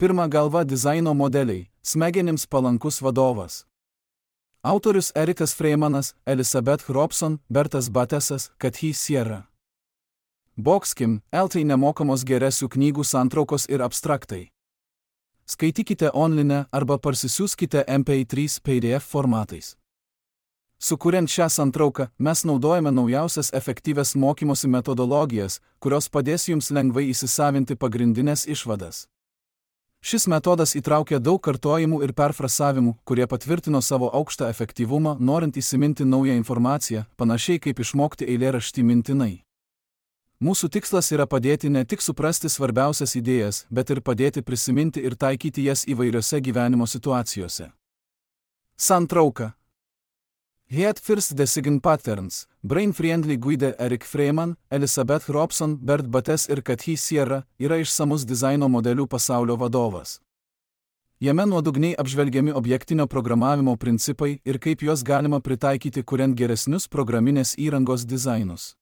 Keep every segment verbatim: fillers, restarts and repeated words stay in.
Pirma galva dizaino modeliai, smegenims palankus vadovas. Autorius Erikas Freimanas, Elizabeth Robson, Bertas Batesas, Kathy Sierra. Boxkim, eltai nemokamos geresių knygų santraukos ir abstraktai. Skaitykite online arba parsisiųskite M P trys P D F formatais. Sukuriant šią santrauką, mes naudojame naujausias efektyvias mokymosi metodologijas, kurios padės jums lengvai įsisavinti pagrindinės išvadas. Šis metodas įtraukia daug kartojimų ir perfrasavimų, kurie patvirtino savo aukštą efektyvumą, norint įsiminti naują informaciją, panašiai kaip išmokti eilėraštį mintinai. Mūsų tikslas yra padėti ne tik suprasti svarbiausias idėjas, bet ir padėti prisiminti ir taikyti jas įvairiose gyvenimo situacijose. Santrauka. Head First Decision Patterns, Brain Friendly Guide Erik Freiman, Elizabeth Robson, Bert Bates ir Kathy Sierra yra išsamus dizaino modelių pasaulio vadovas. Jame nuodugniai apžvelgiami objektinio programavimo principai ir kaip juos galima pritaikyti kuriant geresnius programinės įrangos dizainus.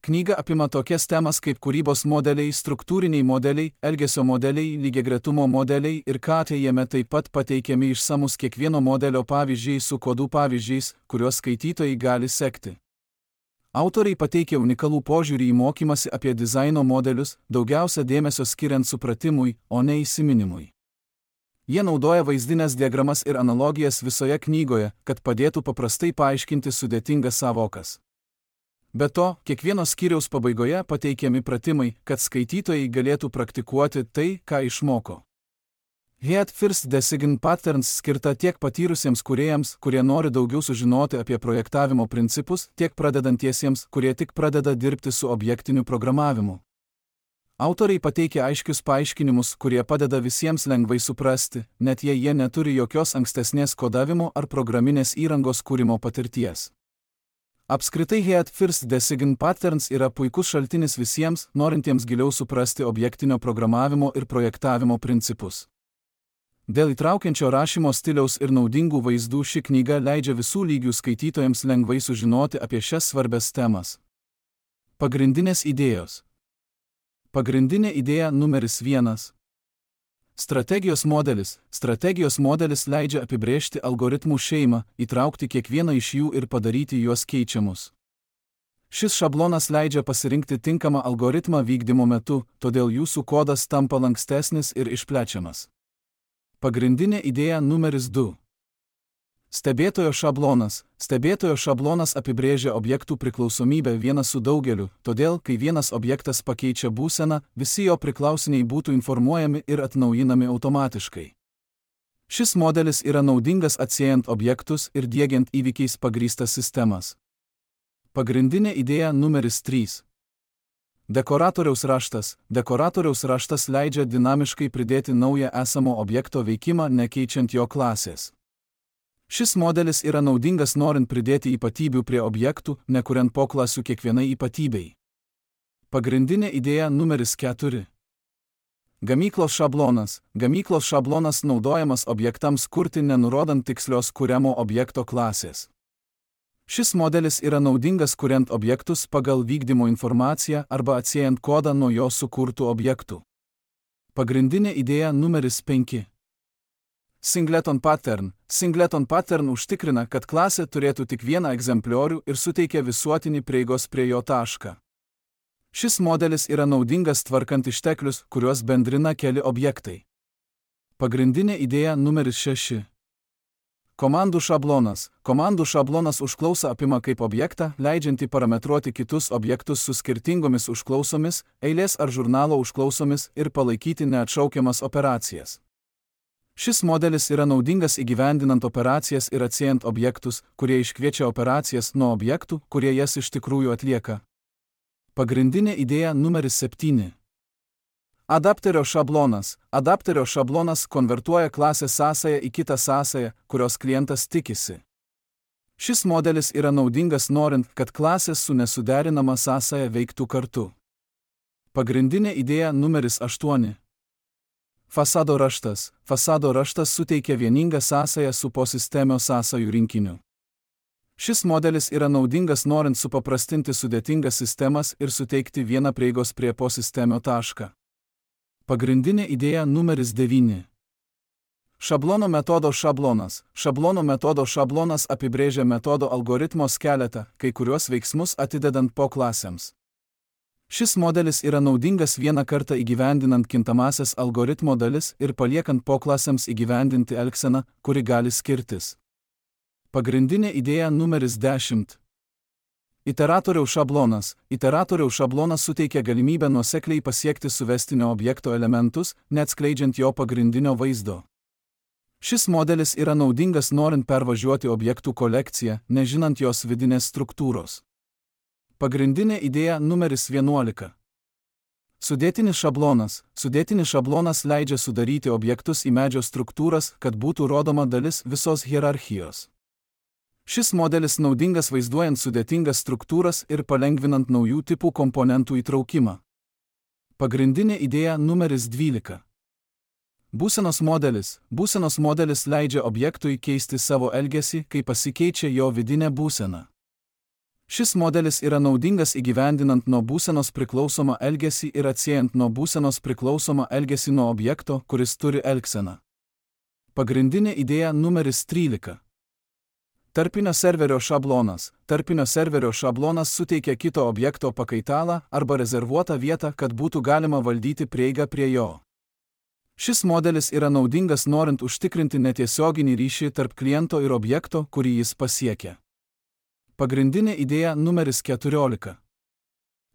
Knyga apima tokias temas kaip kūrybos modeliai, struktūriniai modeliai, elgesio modeliai, lygiagretumo modeliai ir K T jame taip pat pateikiami išsamus kiekvieno modelio pavyzdžiai su kodų pavyzdžiais, kuriuos skaitytojai gali sekti. Autoriai pateikia unikalų požiūrį į mokymasi apie dizaino modelius, daugiausia dėmesio skiriant supratimui, o ne įsiminimui. Jie naudoja vaizdinės diagramas ir analogijas visoje knygoje, kad padėtų paprastai paaiškinti sudėtingas sąvokas. Be to, kiekvieno skyriaus pabaigoje pateikiami pratimai, kad skaitytojai galėtų praktikuoti tai, ką išmoko. Head First Decision Patterns skirta tiek patyrusiems kūrėjams, kurie nori daugiau sužinoti apie projektavimo principus, tiek pradedantiesiems, kurie tik pradeda dirbti su objektiniu programavimu. Autoriai pateikia aiškius paaiškinimus, kurie padeda visiems lengvai suprasti, net jei jie neturi jokios ankstesnės kodavimo ar programinės įrangos kūrimo patirties. Apskritai Head First Decision Patterns yra puikus šaltinis visiems, norintiems giliau suprasti objektinio programavimo ir projektavimo principus. Dėl įtraukiančio rašymo stiliaus ir naudingų vaizdų ši knyga leidžia visų lygių skaitytojams lengvai sužinoti apie šias svarbias temas. Pagrindinės idėjos. Pagrindinė idėja numeris vienas. Strategijos modelis. Strategijos modelis leidžia apibrėžti algoritmų šeimą, įtraukti kiekvieną iš jų ir padaryti juos keičiamus. Šis šablonas leidžia pasirinkti tinkamą algoritmą vykdymo metu, todėl jūsų kodas tampa lankstesnis ir išplečiamas. Pagrindinė idėja numeris du. Stebėtojo šablonas. Stebėtojo šablonas apibrėžia objektų priklausomybę vienas su daugeliu, todėl, kai vienas objektas pakeičia būseną, visi jo priklausiniai būtų informuojami ir atnaujinami automatiškai. Šis modelis yra naudingas atsiejant objektus ir diegiant įvykiais pagrįstas sistemas. Pagrindinė idėja numeris trys. Dekoratoriaus raštas. Dekoratoriaus raštas leidžia dinamiškai pridėti naują esamo objekto veikimą, nekeičiant jo klasės. Šis modelis yra naudingas norint pridėti ypatybių prie objektų, nekuriant poklasių kiekvienai ypatybei. Pagrindinė idėja numeris keturi. Gamyklos šablonas. Gamyklos šablonas naudojamas objektams kurti nenurodant tikslios kuriamo objekto klasės. Šis modelis yra naudingas kuriant objektus pagal vykdymo informaciją arba atsiejant kodą nuo jo sukurtų objektų. Pagrindinė idėja numeris penki. Singleton pattern. Singleton pattern užtikrina, kad klasė turėtų tik vieną egzempliorių ir suteikia visuotinį prieigos prie jo tašką. Šis modelis yra naudingas tvarkant išteklius, kuriuos bendrina keli objektai. Pagrindinė idėja numeris šeši. Komandų šablonas. Komandų šablonas užklausą apima kaip objektą, leidžiantį parametruoti kitus objektus su skirtingomis užklausomis, eilės ar žurnalo užklausomis ir palaikyti neatšaukiamas operacijas. Šis modelis yra naudingas įgyvendinant operacijas ir atsiejant objektus, kurie iškviečia operacijas nuo objektų, kurie jas iš tikrųjų atlieka. Pagrindinė idėja numeris septyni. Adapterio šablonas. Adapterio šablonas konvertuoja klasės sąsają į kitą sąsają, kurios klientas tikisi. Šis modelis yra naudingas norint, kad klasės su nesuderinama sąsaja veiktų kartu. Pagrindinė idėja numeris aštuoni. Fasado raštas. Fasado raštas suteikia vieningą sąsają su posistemio sąsajų rinkiniu. Šis modelis yra naudingas norint supaprastinti sudėtingas sistemas ir suteikti vieną prieigos prie posistemio tašką. Pagrindinė idėja numeris devyni. Šablono metodo šablonas. Šablono metodo šablonas apibrėžia metodo algoritmo skeletą, kai kuriuos veiksmus atidedant po klasėms. Šis modelis yra naudingas vieną kartą įgyvendinant kintamasias algoritmo dalis ir paliekant po klasėms įgyvendinti elgseną, kuri gali skirtis. Pagrindinė idėja numeris dešimt. Iteratoriaus šablonas. Iteratoriaus šablonas suteikia galimybę nuosekliai pasiekti suvestinio objekto elementus, neatskleidžiant jo pagrindinio vaizdo. Šis modelis yra naudingas norint pervažiuoti objektų kolekciją, nežinant jos vidinės struktūros. Pagrindinė idėja numeris vienuolika. Sudėtinis šablonas. Sudėtinis šablonas leidžia sudaryti objektus į medžio struktūras, kad būtų rodoma dalis visos hierarchijos. Šis modelis naudingas vaizduojant sudėtingas struktūras ir palengvinant naujų tipų komponentų įtraukimą. Pagrindinė idėja numeris dvylika. Būsenos modelis. Būsenos modelis leidžia objektui keisti savo elgesį, kai pasikeičia jo vidinė būsena. Šis modelis yra naudingas įgyvendinant nuo būsenos priklausomą elgesį ir atsiejant nuo būsenos priklausomą elgesį nuo objekto, kuris turi elgseną. Pagrindinė idėja numeris trylika. Tarpinio serverio šablonas. Tarpinio serverio šablonas suteikia kito objekto pakaitalą arba rezervuotą vietą, kad būtų galima valdyti prieigą prie jo. Šis modelis yra naudingas norint užtikrinti netiesioginį ryšį tarp kliento ir objekto, kurį jis pasiekia. Pagrindinė idėja numeris keturiolika.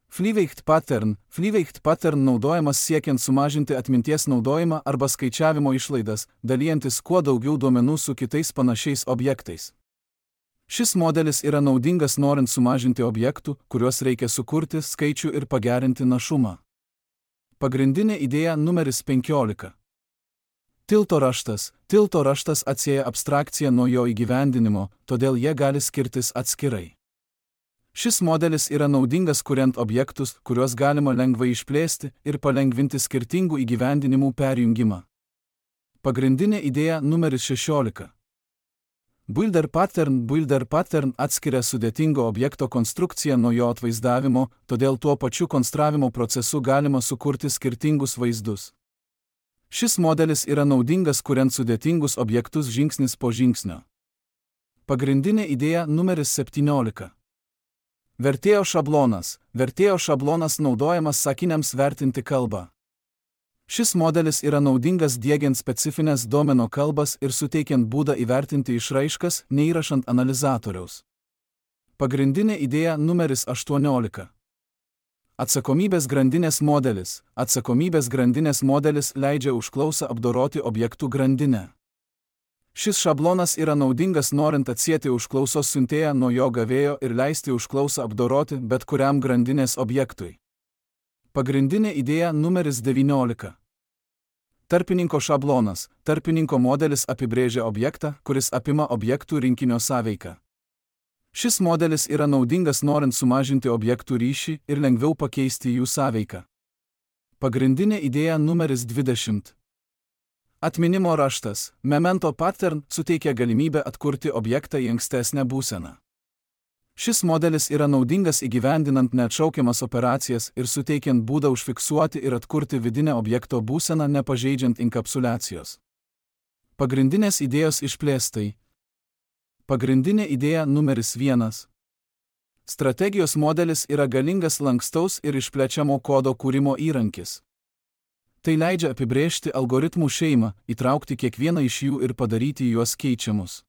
Flyweight pattern. Flyweight pattern naudojamas siekiant sumažinti atminties naudojimą arba skaičiavimo išlaidas, dalijantis kuo daugiau duomenų su kitais panašiais objektais. Šis modelis yra naudingas norint sumažinti objektų, kuriuos reikia sukurti, skaičių ir pagerinti našumą. Pagrindinė idėja numeris penkiolika. Tilto raštas. Tilto raštas atsieja abstrakciją nuo jo įgyvendinimo, todėl jie gali skirtis atskirai. Šis modelis yra naudingas kuriant objektus, kuriuos galima lengvai išplėsti ir palengvinti skirtingų įgyvendinimų perjungimą. Pagrindinė idėja numeris šešiolika. Builder pattern. Builder pattern atskiria sudėtingo objekto konstrukciją nuo jo atvaizdavimo, todėl tuo pačiu konstravimo procesu galima sukurti skirtingus vaizdus. Šis modelis yra naudingas kuriant sudėtingus objektus žingsnis po žingsnio. Pagrindinė idėja numeris septyniolika. Vertėjo šablonas. Vertėjo šablonas naudojamas sakiniams vertinti kalbą. Šis modelis yra naudingas diegiant specifines domeno kalbas ir suteikiant būdą įvertinti išraiškas, neįrašant analizatoriaus. Pagrindinė idėja numeris aštuoniolika. Atsakomybės grandinės modelis. Atsakomybės grandinės modelis leidžia užklausą apdoroti objektų grandinę. Šis šablonas yra naudingas norint atsieti užklausos siuntėją nuo jo gavėjo ir leisti užklausą apdoroti bet kuriam grandinės objektui. Pagrindinė idėja numeris devyniolika. Tarpininko šablonas. Tarpininko modelis apibrėžia objektą, kuris apima objektų rinkinio sąveiką. Šis modelis yra naudingas norint sumažinti objektų ryšį ir lengviau pakeisti jų sąveiką. Pagrindinė idėja numeris dvidešimt. Atminimo raštas. Memento pattern suteikia galimybę atkurti objektą į ankstesnę būseną. Šis modelis yra naudingas įgyvendinant neatšaukiamas operacijas ir suteikiant būdą užfiksuoti ir atkurti vidinę objekto būseną nepažeidžiant inkapsuliacijos. Pagrindinės idėjos išplėstai. Pagrindinė idėja numeris vienas. Strategijos modelis yra galingas lankstaus ir išplečiamo kodo kūrimo įrankis. Tai leidžia apibrėžti algoritmų šeimą, įtraukti kiekvieną iš jų ir padaryti juos keičiamus.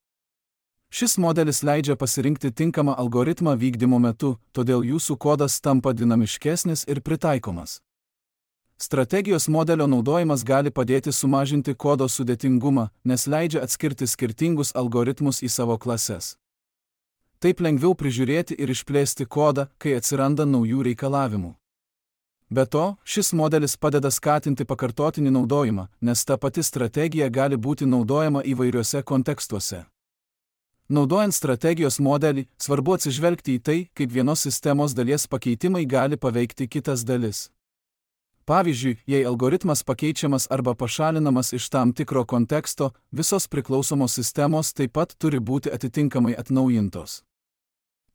Šis modelis leidžia pasirinkti tinkamą algoritmą vykdymo metu, todėl jūsų kodas tampa dinamiškesnis ir pritaikomas. Strategijos modelio naudojimas gali padėti sumažinti kodo sudėtingumą, nes leidžia atskirti skirtingus algoritmus į savo klases. Taip lengviau prižiūrėti ir išplėsti kodą, kai atsiranda naujų reikalavimų. Be to, šis modelis padeda skatinti pakartotinį naudojimą, nes ta pati strategija gali būti naudojama įvairiuose kontekstuose. Naudojant strategijos modelį, svarbu atsižvelgti į tai, kaip vienos sistemos dalies pakeitimai gali paveikti kitas dalis. Pavyzdžiui, jei algoritmas pakeičiamas arba pašalinamas iš tam tikro konteksto, visos priklausomos sistemos taip pat turi būti atitinkamai atnaujintos.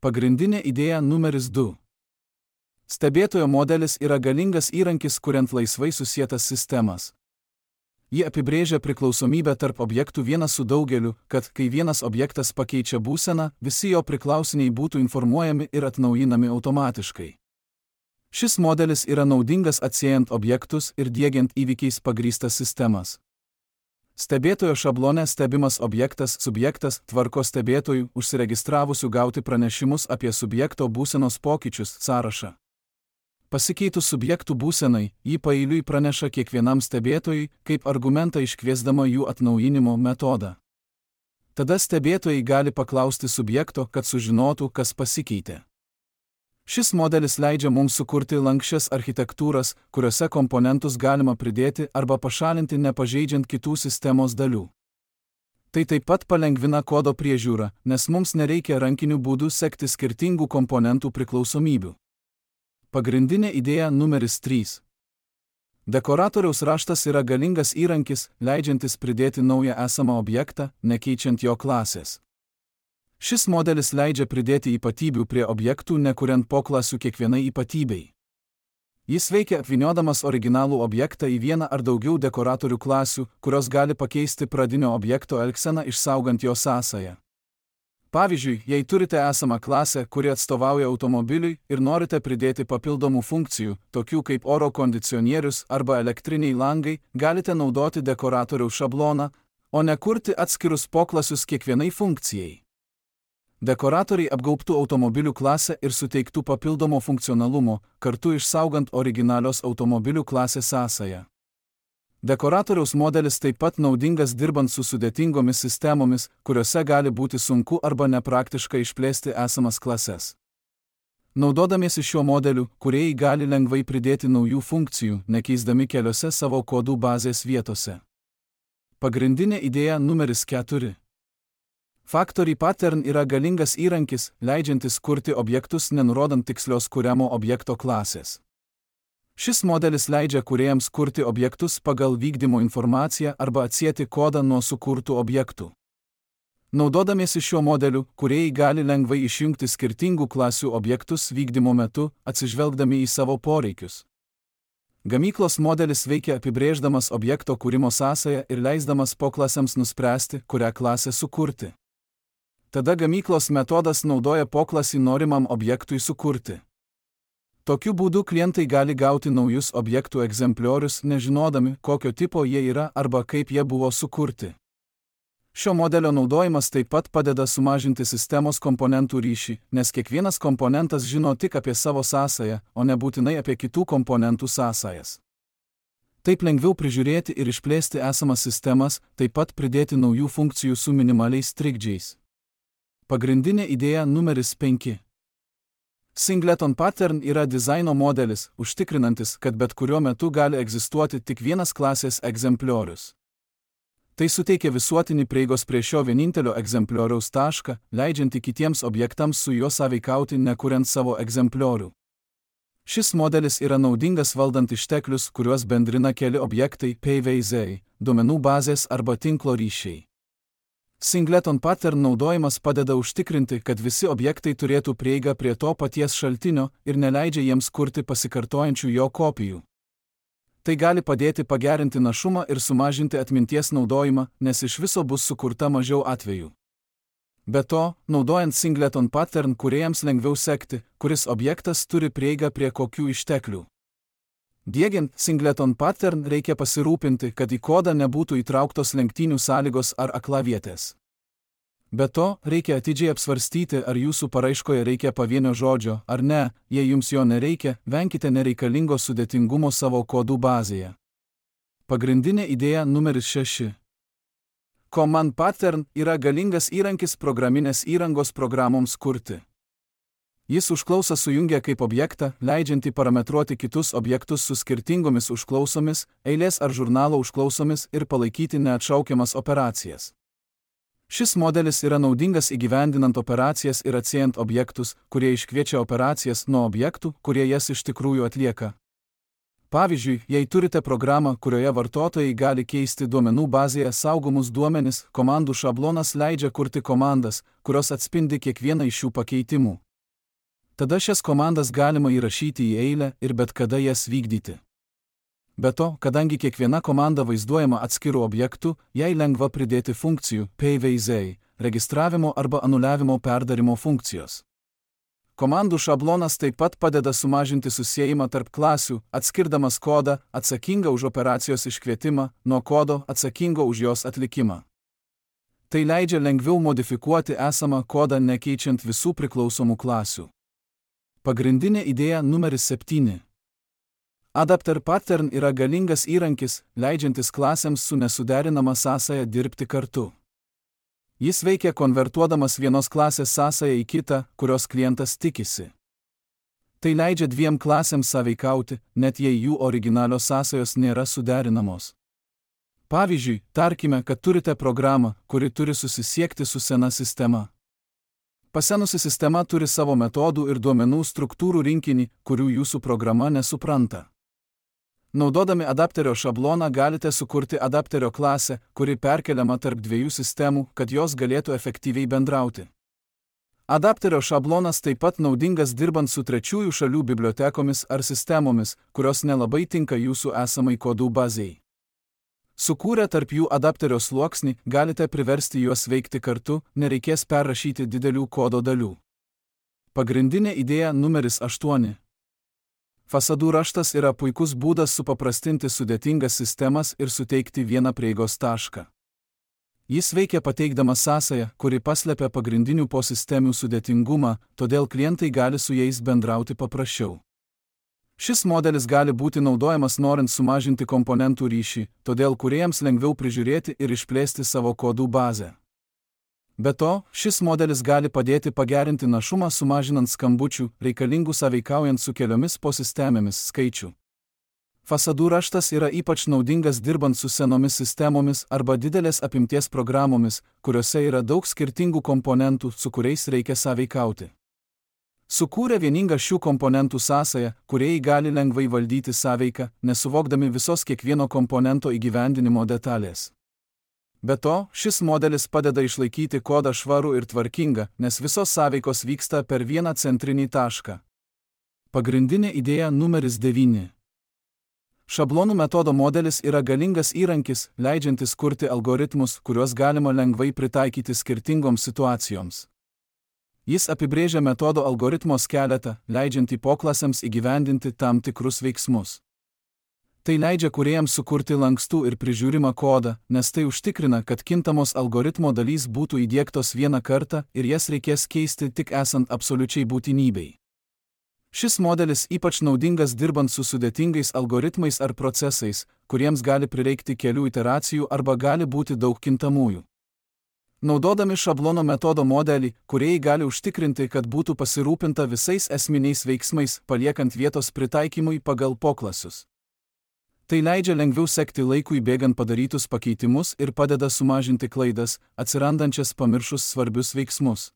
Pagrindinė idėja numeris du. Stebėtojo modelis yra galingas įrankis, kuriant laisvai susietas sistemas. Ji apibrėžia priklausomybę tarp objektų vienas su daugeliu, kad, kai vienas objektas pakeičia būseną, visi jo priklausiniai būtų informuojami ir atnaujinami automatiškai. Šis modelis yra naudingas atsiejant objektus ir diegiant įvykiais pagrįstas sistemas. Stebėtojo šablone stebimas objektas subjektas tvarko stebėtojų užsiregistravusių gauti pranešimus apie subjekto būsenos pokyčius sąrašą. Pasikeitus subjektų būsenai, jį paeiliui praneša kiekvienam stebėtojui, kaip argumentą iškviesdama jų atnaujinimo metodą. Tada stebėtojai gali paklausti subjekto, kad sužinotų, kas pasikeitė. Šis modelis leidžia mums sukurti lanksčias architektūras, kuriuose komponentus galima pridėti arba pašalinti nepažeidžiant kitų sistemos dalių. Tai taip pat palengvina kodo priežiūrą, nes mums nereikia rankiniu būdu sekti skirtingų komponentų priklausomybių. Pagrindinė idėja numeris trys. Dekoratoriaus raštas yra galingas įrankis, leidžiantis pridėti naują esamą objektą, nekeičiant jo klasės. Šis modelis leidžia pridėti ypatybių prie objektų, nekuriant poklasių kiekvienai ypatybei. Jis veikia apvyniodamas originalų objektą į vieną ar daugiau dekoratorių klasių, kurios gali pakeisti pradinio objekto elgseną, išsaugant jo sąsają. Pavyzdžiui, jei turite esamą klasę, kuri atstovauja automobiliui ir norite pridėti papildomų funkcijų, tokių kaip oro kondicionierius arba elektriniai langai, galite naudoti dekoratoriaus šabloną, o ne kurti atskirus poklasius kiekvienai funkcijai. Dekoratoriai apgaubtų automobilių klasę ir suteiktų papildomo funkcionalumo, kartu išsaugant originalios automobilių klasės sąsają. Dekoratoriaus modelis taip pat naudingas dirbant su sudėtingomis sistemomis, kuriuose gali būti sunku arba nepraktiška išplėsti esamas klases. Naudodamiesi šiuo modeliu, kūrėjai gali lengvai pridėti naujų funkcijų, nekeisdami keliose savo kodų bazės vietose. Pagrindinė idėja numeris keturi. Factory pattern yra galingas įrankis, leidžiantis kurti objektus nenurodant tikslios kuriamo objekto klasės. Šis modelis leidžia kūrėjams kurti objektus pagal vykdymo informaciją arba atsieti kodą nuo sukurtų objektų. Naudodamiesi šiuo modeliu, kūrėjai gali lengvai išjungti skirtingų klasių objektus vykdymo metu, atsižvelgdami į savo poreikius. Gamyklos modelis veikia apibrėždamas objekto kūrimo sąsają ir leisdamas poklasėms nuspręsti, kurią klasę sukurti. Tada gamyklos metodas naudoja poklasį norimam objektui sukurti. Tokiu būdu klientai gali gauti naujus objektų egzempliorius, nežinodami, kokio tipo jie yra arba kaip jie buvo sukurti. Šio modelio naudojimas taip pat padeda sumažinti sistemos komponentų ryšį, nes kiekvienas komponentas žino tik apie savo sąsają, o ne būtinai apie kitų komponentų sąsajas. Taip lengviau prižiūrėti ir išplėsti esamas sistemas, taip pat pridėti naujų funkcijų su minimaliais trikdžiais. Pagrindinė idėja numeris penki. Singleton pattern yra dizaino modelis, užtikrinantis, kad bet kuriuo metu gali egzistuoti tik vienas klasės egzempliorius. Tai suteikia visuotinį prieigos prie šio vienintelio egzemplioriaus tašką, leidžiantį kitiems objektams su juo sąveikauti nekuriant savo egzempliorių. Šis modelis yra naudingas valdant išteklius, kuriuos bendrina keli objektai P V Z, duomenų bazės arba tinklo ryšiai. Singleton pattern naudojimas padeda užtikrinti, kad visi objektai turėtų prieigą prie to paties šaltinio ir neleidžia jiems kurti pasikartojančių jo kopijų. Tai gali padėti pagerinti našumą ir sumažinti atminties naudojimą, nes iš viso bus sukurta mažiau atvejų. Be to, naudojant Singleton pattern kūrėjams lengviau sekti, kuris objektas turi prieigą prie kokių išteklių. Diegiant Singleton pattern reikia pasirūpinti, kad į kodą nebūtų įtrauktos lenktynių sąlygos ar aklavietės. Be to, reikia atidžiai apsvarstyti, ar jūsų paraiškoje reikia pavienio žodžio, ar ne, jei jums jo nereikia, venkite nereikalingo sudėtingumo savo kodų bazėje. Pagrindinė idėja numeris šeši. Command pattern yra galingas įrankis programinės įrangos programoms kurti. Jis užklausą sujungia kaip objektą, leidžiantį parametruoti kitus objektus su skirtingomis užklausomis, eilės ar žurnalo užklausomis ir palaikyti neatšaukiamas operacijas. Šis modelis yra naudingas įgyvendinant operacijas ir atsiejant objektus, kurie iškviečia operacijas nuo objektų, kurie jas iš tikrųjų atlieka. Pavyzdžiui, jei turite programą, kurioje vartotojai gali keisti duomenų bazėje saugomus duomenis, komandų šablonas leidžia kurti komandas, kurios atspindi kiekvieną iš šių pakeitimų. Tada šias komandas galima įrašyti į eilę ir bet kada jas vykdyti. Be to, kadangi kiekviena komanda vaizduojama atskirų objektų, jai lengva pridėti funkcijų P V Z, registravimo arba anuliavimo perdarimo funkcijos. Komandų šablonas taip pat padeda sumažinti susiejimą tarp klasių, atskirdamas kodą atsakingą už operacijos iškvietimą nuo kodo atsakingo už jos atlikimą. Tai leidžia lengviau modifikuoti esamą kodą nekeičiant visų priklausomų klasių. Pagrindinė idėja numeris septyni. Adapter pattern yra galingas įrankis, leidžiantis klasėms su nesuderinama sąsaja dirbti kartu. Jis veikia konvertuodamas vienos klasės sąsają į kitą, kurios klientas tikisi. Tai leidžia dviem klasėms sąveikauti, net jei jų originalios sąsajos nėra suderinamos. Pavyzdžiui, tarkime, kad turite programą, kuri turi susisiekti su sena sistema. Pasenusi sistema turi savo metodų ir duomenų struktūrų rinkinį, kurių jūsų programa nesupranta. Naudodami adapterio šabloną galite sukurti adapterio klasę, kuri perkeliama tarp dviejų sistemų, kad jos galėtų efektyviai bendrauti. Adapterio šablonas taip pat naudingas dirbant su trečiųjų šalių bibliotekomis ar sistemomis, kurios nelabai tinka jūsų esamai kodų bazei. Sukūrę tarp jų adapterio sluoksnį, galite priversti juos veikti kartu, nereikės perrašyti didelių kodo dalių. Pagrindinė idėja numeris aštuoni. Fasadų raštas yra puikus būdas supaprastinti sudėtingas sistemas ir suteikti vieną prieigos tašką. Jis veikia pateikdamas sąsają, kuri paslepia pagrindinių posistemių sudėtingumą, todėl klientai gali su jais bendrauti paprasčiau. Šis modelis gali būti naudojamas norint sumažinti komponentų ryšį, todėl kūrėjams lengviau prižiūrėti ir išplėsti savo kodų bazę. Be to, šis modelis gali padėti pagerinti našumą sumažinant skambučių, reikalingų sąveikaujant su keliomis posistemėmis skaičių. Fasadų raštas yra ypač naudingas dirbant su senomis sistemomis arba didelės apimties programomis, kuriuose yra daug skirtingų komponentų, su kuriais reikia sąveikauti. Sukūrę vieningą šių komponentų sąsają, kūrėjai gali lengvai valdyti sąveiką, nesuvokdami visos kiekvieno komponento įgyvendinimo detalės. Be to, šis modelis padeda išlaikyti kodą švarų ir tvarkingą, nes visos sąveikos vyksta per vieną centrinį tašką. Pagrindinė idėja numeris devyni. Šablonų metodo modelis yra galingas įrankis, leidžiantis kurti algoritmus, kuriuos galima lengvai pritaikyti skirtingoms situacijoms. Jis apibrėžia metodo algoritmo skeletą, leidžiantį poklasėms įgyvendinti tam tikrus veiksmus. Tai leidžia kūrėjams sukurti lankstų ir prižiūrimą kodą, nes tai užtikrina, kad kintamos algoritmo dalys būtų įdiegtos vieną kartą ir jas reikės keisti tik esant absoliučiai būtinybei. Šis modelis ypač naudingas dirbant su sudėtingais algoritmais ar procesais, kuriems gali prireikti kelių iteracijų arba gali būti daug kintamųjų. Naudodami šablono metodo modelį, kūrėjai gali užtikrinti, kad būtų pasirūpinta visais esminiais veiksmais, paliekant vietos pritaikymui pagal poklasius. Tai leidžia lengviau sekti laikui bėgant padarytus pakeitimus ir padeda sumažinti klaidas, atsirandančias pamiršus svarbius veiksmus.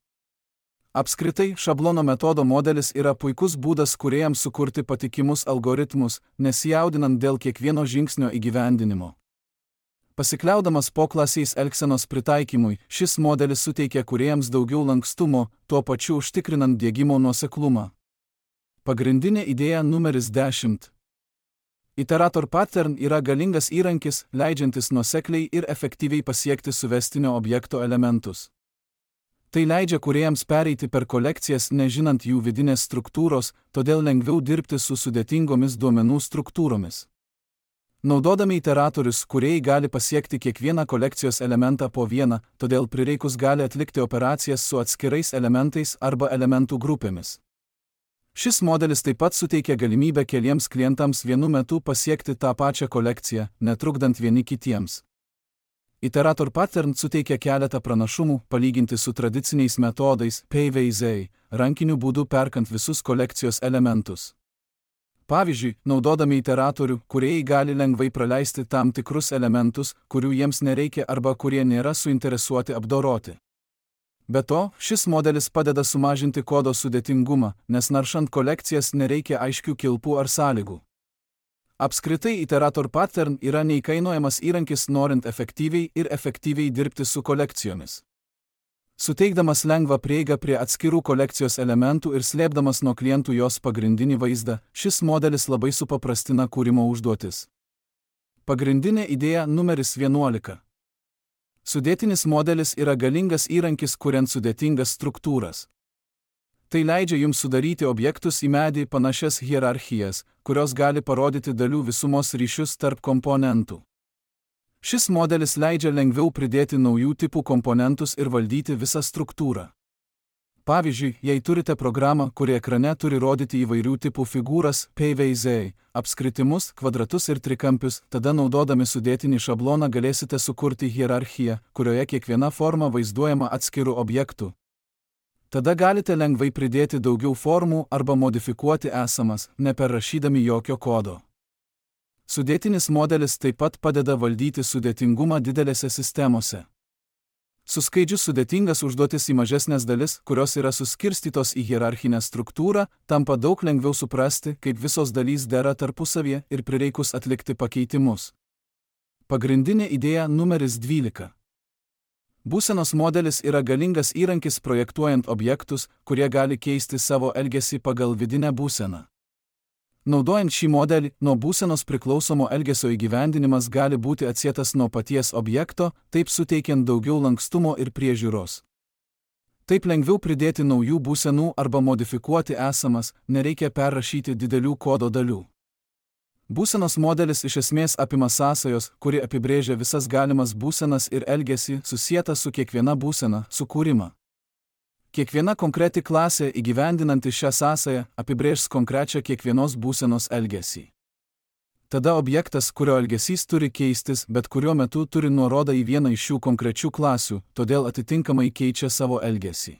Apskritai, šablono metodo modelis yra puikus būdas kūrėjams sukurti patikimus algoritmus, nesijaudinant dėl kiekvieno žingsnio įgyvendinimo. Pasikliaudamas poklasiais elgsenos pritaikymui, šis modelis suteikia kūrėjams daugiau lankstumo, tuo pačiu užtikrinant diegimo nuoseklumą. Pagrindinė idėja numeris dešimt. Iterator pattern yra galingas įrankis, leidžiantis nuosekliai ir efektyviai pasiekti suvestinio objekto elementus. Tai leidžia kūrėjams pereiti per kolekcijas nežinant jų vidinės struktūros, todėl lengviau dirbti su sudėtingomis duomenų struktūromis. Naudodami iteratorius, kūrėjai gali pasiekti kiekvieną kolekcijos elementą po vieną, todėl prireikus gali atlikti operacijas su atskirais elementais arba elementų grupėmis. Šis modelis taip pat suteikia galimybę keliems klientams vienu metu pasiekti tą pačią kolekciją, netrukdant vieni kitiems. Iterator pattern suteikia keletą pranašumų, palyginti su tradiciniais metodais P V Z, rankiniu būdu perkant visus kolekcijos elementus. Pavyzdžiui, naudodami iteratorių, kūrėjai gali lengvai praleisti tam tikrus elementus, kurių jiems nereikia arba kurie nėra suinteresuoti apdoroti. Be to, šis modelis padeda sumažinti kodo sudėtingumą, nes naršant kolekcijas nereikia aiškių kilpų ar sąlygų. Apskritai, iterator pattern yra neįkainojamas įrankis norint efektyviai ir efektyviai dirbti su kolekcijomis. Suteikdamas lengvą prieigą prie atskirų kolekcijos elementų ir slėpdamas nuo klientų jos pagrindinį vaizdą, šis modelis labai supaprastina kūrimo užduotis. Pagrindinė idėja numeris vienuolika. Sudėtinis modelis yra galingas įrankis, kuriant sudėtingas struktūras. Tai leidžia jums sudaryti objektus į medį panašias hierarchijas, kurios gali parodyti dalių visumos ryšius tarp komponentų. Šis modelis leidžia lengviau pridėti naujų tipų komponentus ir valdyti visą struktūrą. Pavyzdžiui, jei turite programą, kuri ekrane turi rodyti įvairių tipų figūras, paveizdai, apskritimus, kvadratus ir trikampius, tada naudodami sudėtinį šabloną galėsite sukurti hierarchiją, kurioje kiekviena forma vaizduojama atskirų objektų. Tada galite lengvai pridėti daugiau formų arba modifikuoti esamas, neperrašydami jokio kodo. Sudėtinis modelis taip pat padeda valdyti sudėtingumą didelėse sistemose. Suskaidžius sudėtingas užduotis į mažesnės dalis, kurios yra suskirstytos į hierarchinę struktūrą, tampa daug lengviau suprasti, kaip visos dalys dera tarpusavyje ir prireikus atlikti pakeitimus. Pagrindinė idėja numeris dvylika. Būsenos modelis yra galingas įrankis projektuojant objektus, kurie gali keisti savo elgesį pagal vidinę būseną. Naudojant šį modelį, nuo būsenos priklausomo elgesio įgyvendinimas gali būti atsietas nuo paties objekto, taip suteikiant daugiau lankstumo ir priežiūros. Taip lengviau pridėti naujų būsenų arba modifikuoti esamas, nereikia perrašyti didelių kodo dalių. Būsenos modelis iš esmės apima sąsajos, kuri apibrėžia visas galimas būsenas ir elgesį susietą su kiekviena būsena, sukūrimą. Kiekviena konkreti klasė įgyvendinanti šią sąsają apibrėžs konkrečią kiekvienos būsenos elgesį. Tada objektas, kurio elgesys turi keistis, bet kuriuo metu turi nuorodą į vieną iš šių konkrečių klasių, todėl atitinkamai keičia savo elgesį.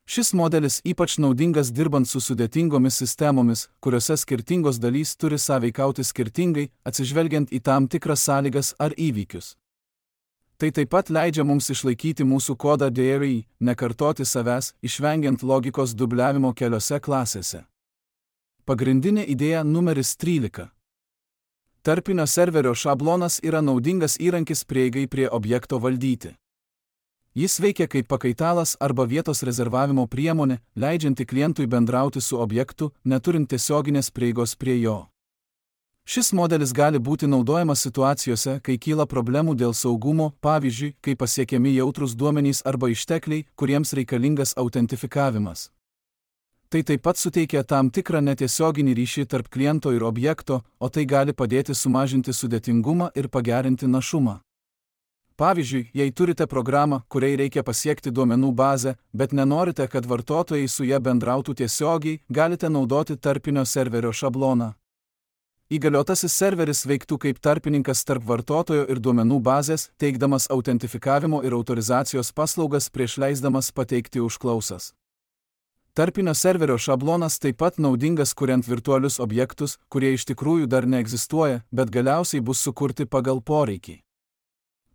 Šis modelis ypač naudingas dirbant su sudėtingomis sistemomis, kuriuose skirtingos dalys turi sąveikauti skirtingai, atsižvelgiant į tam tikras sąlygas ar įvykius. Tai taip pat leidžia mums išlaikyti mūsų kodą D R I, nekartoti savęs, išvengiant logikos dubliavimo keliose klasėse. Pagrindinė idėja numeris trylika. Tarpinio serverio šablonas yra naudingas įrankis prieigai prie objekto valdyti. Jis veikia kaip pakaitalas arba vietos rezervavimo priemonė, leidžianti klientui bendrauti su objektu, neturint tiesioginės prieigos prie jo. Šis modelis gali būti naudojamas situacijose, kai kyla problemų dėl saugumo, pavyzdžiui, kai pasiekiami jautrūs duomenys arba ištekliai, kuriems reikalingas autentifikavimas. Tai taip pat suteikia tam tikrą netiesioginį ryšį tarp kliento ir objekto, o tai gali padėti sumažinti sudėtingumą ir pagerinti našumą. Pavyzdžiui, jei turite programą, kuriai reikia pasiekti duomenų bazę, bet nenorite, kad vartotojai su ja bendrautų tiesiogiai, galite naudoti tarpinio serverio šabloną. Įgaliotasis serveris veiktų kaip tarpininkas tarp vartotojo ir duomenų bazės, teikdamas autentifikavimo ir autorizacijos paslaugas prieš leisdamas pateikti užklausas. Tarpinio serverio šablonas taip pat naudingas kuriant virtualius objektus, kurie iš tikrųjų dar neegzistuoja, bet galiausiai bus sukurti pagal poreikį.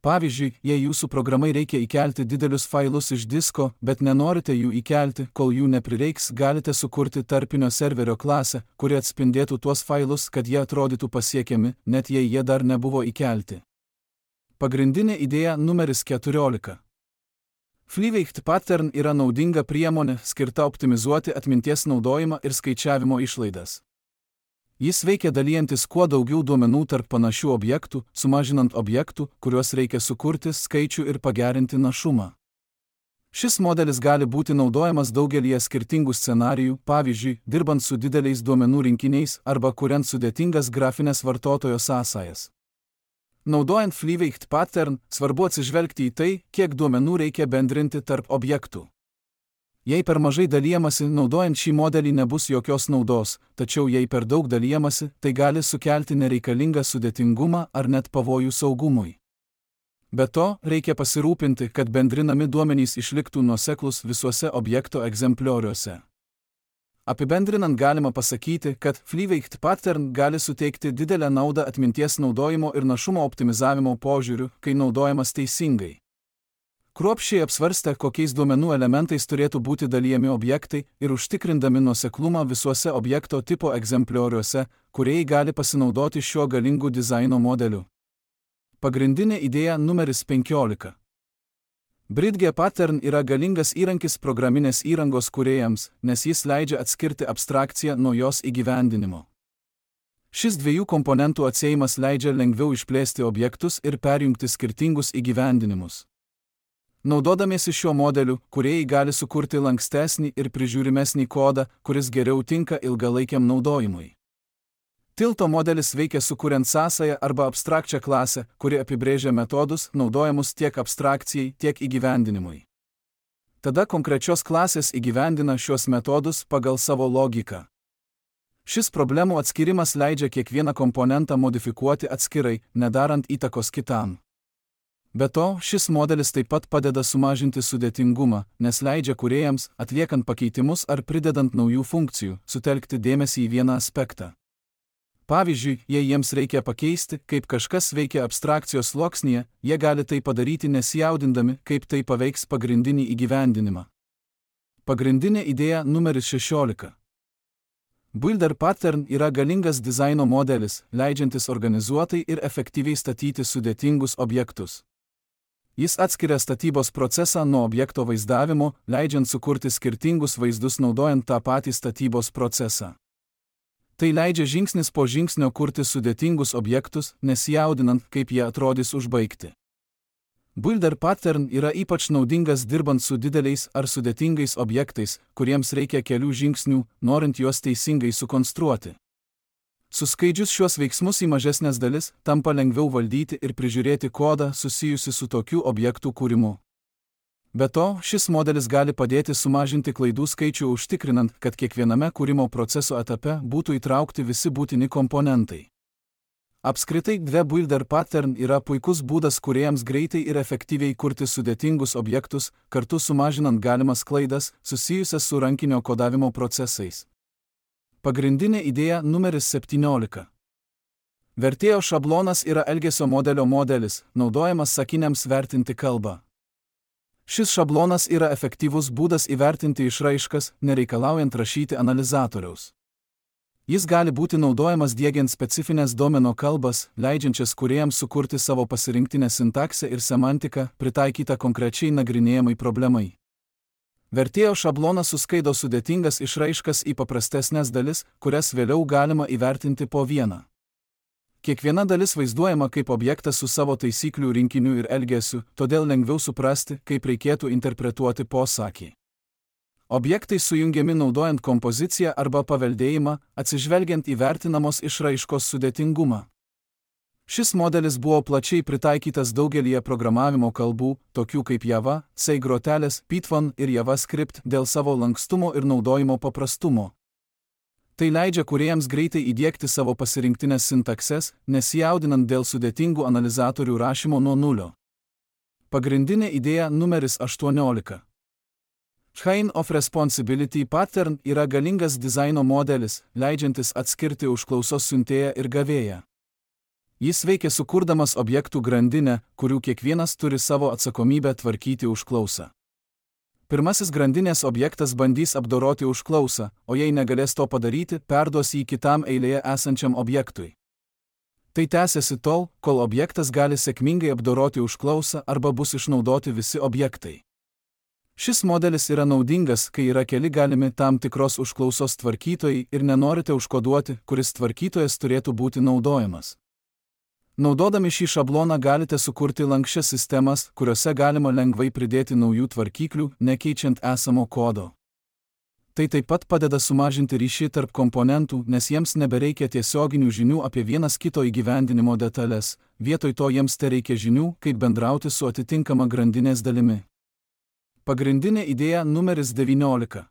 Pavyzdžiui, jei jūsų programai reikia įkelti didelius failus iš disko, bet nenorite jų įkelti, kol jų neprireiks, galite sukurti tarpinio serverio klasę, kuri atspindėtų tuos failus, kad jie atrodytų pasiekiami, net jei jie dar nebuvo įkelti. Pagrindinė idėja numeris keturiolika. FlyWeight Pattern yra naudinga priemonė, skirta optimizuoti atminties naudojimą ir skaičiavimo išlaidas. Jis veikia dalijantis kuo daugiau duomenų tarp panašių objektų, sumažinant objektų, kuriuos reikia sukurti, skaičių ir pagerinti našumą. Šis modelis gali būti naudojamas daugelyje skirtingų scenarijų, pavyzdžiui, dirbant su dideliais duomenų rinkiniais arba kuriant sudėtingas grafinės vartotojo sąsajas. Naudojant FlyWeight Pattern, svarbu atsižvelgti į tai, kiek duomenų reikia bendrinti tarp objektų. Jei per mažai dalijamasi, naudojant šį modelį nebus jokios naudos, tačiau jei per daug dalijamasi, tai gali sukelti nereikalingą sudėtingumą ar net pavojų saugumui. Be to, reikia pasirūpinti, kad bendrinami duomenys išliktų nuoseklūs visuose objekto egzemplioriuose. Apibendrinant galima pasakyti, kad FlyWeight Pattern gali suteikti didelę naudą atminties naudojimo ir našumo optimizavimo požiūriu, kai naudojamas teisingai. Kruopščiai apsvarstę, kokiais duomenų elementais turėtų būti dalijami objektai ir užtikrindami nuoseklumą visuose objekto tipo egzemplioriuose, kūrėjai gali pasinaudoti šiuo galingu dizaino modeliu. Pagrindinė idėja numeris penkiolika. Bridge pattern yra galingas įrankis programinės įrangos kūrėjams, nes jis leidžia atskirti abstrakciją nuo jos įgyvendinimo. Šis dviejų komponentų atsiejimas leidžia lengviau išplėsti objektus ir perjungti skirtingus įgyvendinimus. Naudodamiesi šiuo modeliu, kūrėjai gali sukurti lankstesnį ir prižiūrimesnį kodą, kuris geriau tinka ilgalaikiam naudojimui. Tilto modelis veikia sukuriant sąsają arba abstrakčią klasę, kuri apibrėžia metodus, naudojamus tiek abstrakcijai, tiek įgyvendinimui. Tada konkrečios klasės įgyvendina šios metodus pagal savo logiką. Šis problemų atskirimas leidžia kiekvieną komponentą modifikuoti atskirai, nedarant įtakos kitam. Be to, šis modelis taip pat padeda sumažinti sudėtingumą, nes leidžia kūrėjams, atliekant pakeitimus ar pridedant naujų funkcijų, sutelkti dėmesį į vieną aspektą. Pavyzdžiui, jei jiems reikia pakeisti, kaip kažkas veikia abstrakcijos sluoksnyje, jie gali tai padaryti nesijaudindami, kaip tai paveiks pagrindinį įgyvendinimą. Pagrindinė idėja numeris šešiolika. Builder pattern yra galingas dizaino modelis, leidžiantis organizuotai ir efektyviai statyti sudėtingus objektus. Jis atskiria statybos procesą nuo objekto vaizdavimo, leidžiant sukurti skirtingus vaizdus naudojant tą patį statybos procesą. Tai leidžia žingsnis po žingsnio kurti sudėtingus objektus, nesijaudinant, kaip jie atrodys užbaigti. Builder pattern yra ypač naudingas dirbant su dideliais ar sudėtingais objektais, kuriems reikia kelių žingsnių, norint juos teisingai sukonstruoti. Suskaidžius šiuos veiksmus į mažesnės dalis, tampa lengviau valdyti ir prižiūrėti kodą susijusi su tokių objektų kūrimu. Be to, šis modelis gali padėti sumažinti klaidų skaičių užtikrinant, kad kiekviename kūrimo proceso etape būtų įtraukti visi būtini komponentai. Apskritai, dve Builder pattern yra puikus būdas kūrėjams greitai ir efektyviai kurti sudėtingus objektus, kartu sumažinant galimas klaidas, susijusias su rankinio kodavimo procesais. Pagrindinė idėja numeris septyniolika. Vertėjo šablonas yra elgesio modelio modelis, naudojamas sakiniams vertinti kalbą. Šis šablonas yra efektyvus būdas įvertinti išraiškas, nereikalaujant rašyti analizatoriaus. Jis gali būti naudojamas diegiant specifines domeno kalbas, leidžiančias kūrėjams sukurti savo pasirinktinę sintaksę ir semantiką, pritaikytą konkrečiai nagrinėjamai problemai. Vertėjo šablonas suskaido sudėtingas išraiškas į paprastesnės dalis, kurias vėliau galima įvertinti po vieną. Kiekviena dalis vaizduojama kaip objektas su savo taisyklių rinkiniu ir elgesiu, todėl lengviau suprasti, kaip reikėtų interpretuoti posakį. Objektai sujungiami naudojant kompoziciją arba paveldėjimą, atsižvelgiant į vertinamos išraiškos sudėtingumą. Šis modelis buvo plačiai pritaikytas daugelyje programavimo kalbų, tokių kaip Java, C grotelės, Python ir JavaScript, dėl savo lankstumo ir naudojimo paprastumo. Tai leidžia kūrėjams greitai įdiegti savo pasirinktinės sintakses, nesijaudinant dėl sudėtingų analizatorių rašymo nuo nulio. Pagrindinė idėja numeris aštuoniolika. Chain of Responsibility pattern yra galingas dizaino modelis, leidžiantis atskirti užklausos siuntėją ir gavėją. Jis veikia sukurdamas objektų grandinę, kurių kiekvienas turi savo atsakomybę tvarkyti užklausą. Pirmasis grandinės objektas bandys apdoroti užklausą, o jei negalės to padaryti, perduos jį kitam eilėje esančiam objektui. Tai tęsiasi tol, kol objektas gali sėkmingai apdoroti užklausą arba bus išnaudoti visi objektai. Šis modelis yra naudingas, kai yra keli galimi tam tikros užklausos tvarkytojai ir nenorite užkoduoti, kuris tvarkytojas turėtų būti naudojamas. Naudodami šį šabloną galite sukurti lanksčias sistemas, kuriuose galima lengvai pridėti naujų tvarkyklių, nekeičiant esamo kodo. Tai taip pat padeda sumažinti ryšį tarp komponentų, nes jiems nebereikia tiesioginių žinių apie vienas kito įgyvendinimo detalės, vietoj to jiems tereikia žinių, kaip bendrauti su atitinkama grandinės dalimi. Pagrindinė idėja numeris devyniolika.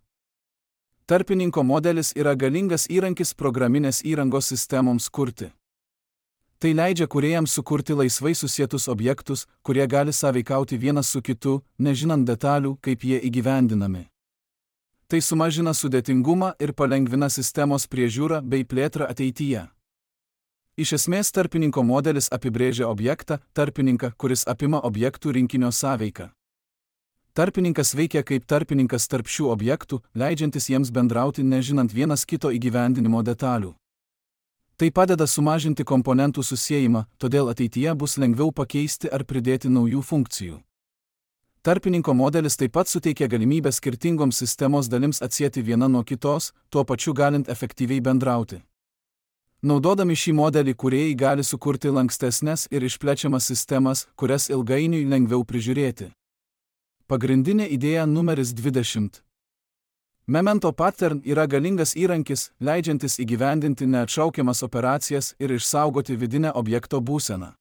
Tarpininko modelis yra galingas įrankis programinės įrangos sistemoms kurti. Tai leidžia kūrėjams sukurti laisvai susietus objektus, kurie gali sąveikauti vienas su kitu, nežinant detalių, kaip jie įgyvendinami. Tai sumažina sudėtingumą ir palengvina sistemos priežiūrą bei plėtrą ateityje. Iš esmės tarpininko modelis apibrėžia objektą, tarpininką, kuris apima objektų rinkinio sąveiką. Tarpininkas veikia kaip tarpininkas tarp šių objektų, leidžiantis jiems bendrauti nežinant vienas kito įgyvendinimo detalių. Tai padeda sumažinti komponentų susiejimą, todėl ateityje bus lengviau pakeisti ar pridėti naujų funkcijų. Tarpininko modelis taip pat suteikia galimybę skirtingoms sistemos dalims atsieti viena nuo kitos, tuo pačiu galint efektyviai bendrauti. Naudodami šį modelį kūrėjai gali sukurti lankstesnes ir išplečiamas sistemas, kurias ilgainiui lengviau prižiūrėti. Pagrindinė idėja numeris dvidešimt. Memento pattern yra galingas įrankis, leidžiantis įgyvendinti neatšaukiamas operacijas ir išsaugoti vidinę objekto būseną.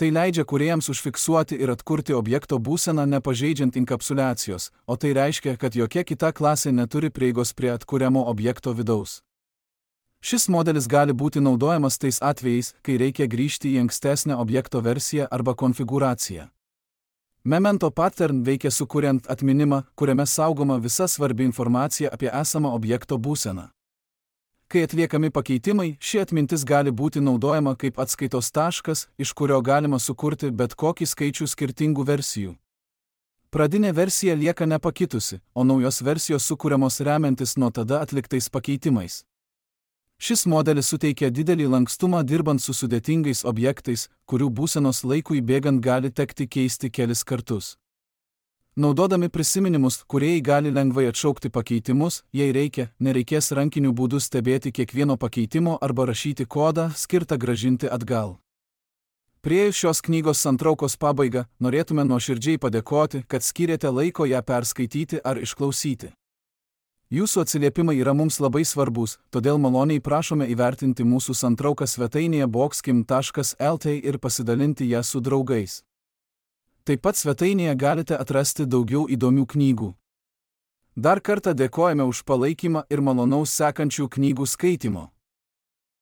Tai leidžia kūrėjams užfiksuoti ir atkurti objekto būseną nepažeidžiant inkapsuliacijos, o tai reiškia, kad jokia kita klasė neturi prieigos prie atkuriamo objekto vidaus. Šis modelis gali būti naudojamas tais atvejais, kai reikia grįžti į ankstesnę objekto versiją arba konfigūraciją. Memento pattern veikia sukuriant atminimą, kuriame saugoma visa svarbi informacija apie esamą objekto būseną. Kai atliekami pakeitimai, ši atmintis gali būti naudojama kaip atskaitos taškas, iš kurio galima sukurti bet kokį skaičių skirtingų versijų. Pradinė versija lieka nepakitusi, o naujos versijos sukūriamos remiantis nuo tada atliktais pakeitimais. Šis modelis suteikia didelį lankstumą dirbant su sudėtingais objektais, kurių būsenos laikui bėgant gali tekti keisti kelis kartus. Naudodami prisiminimus, kūrėjai gali lengvai atšaukti pakeitimus, jei reikia, nereikės rankiniu būdu stebėti kiekvieno pakeitimo arba rašyti kodą, skirtą grąžinti atgal. Priėjus šios knygos santraukos pabaigą, norėtume nuoširdžiai padėkoti, kad skyrėte laiko ją perskaityti ar išklausyti. Jūsų atsiliepimai yra mums labai svarbus, todėl maloniai prašome įvertinti mūsų santrauką svetainėje boxkim taškas lt ir pasidalinti ją su draugais. Taip pat svetainėje galite atrasti daugiau įdomių knygų. Dar kartą dėkojame už palaikymą ir malonaus sekančių knygų skaitimo.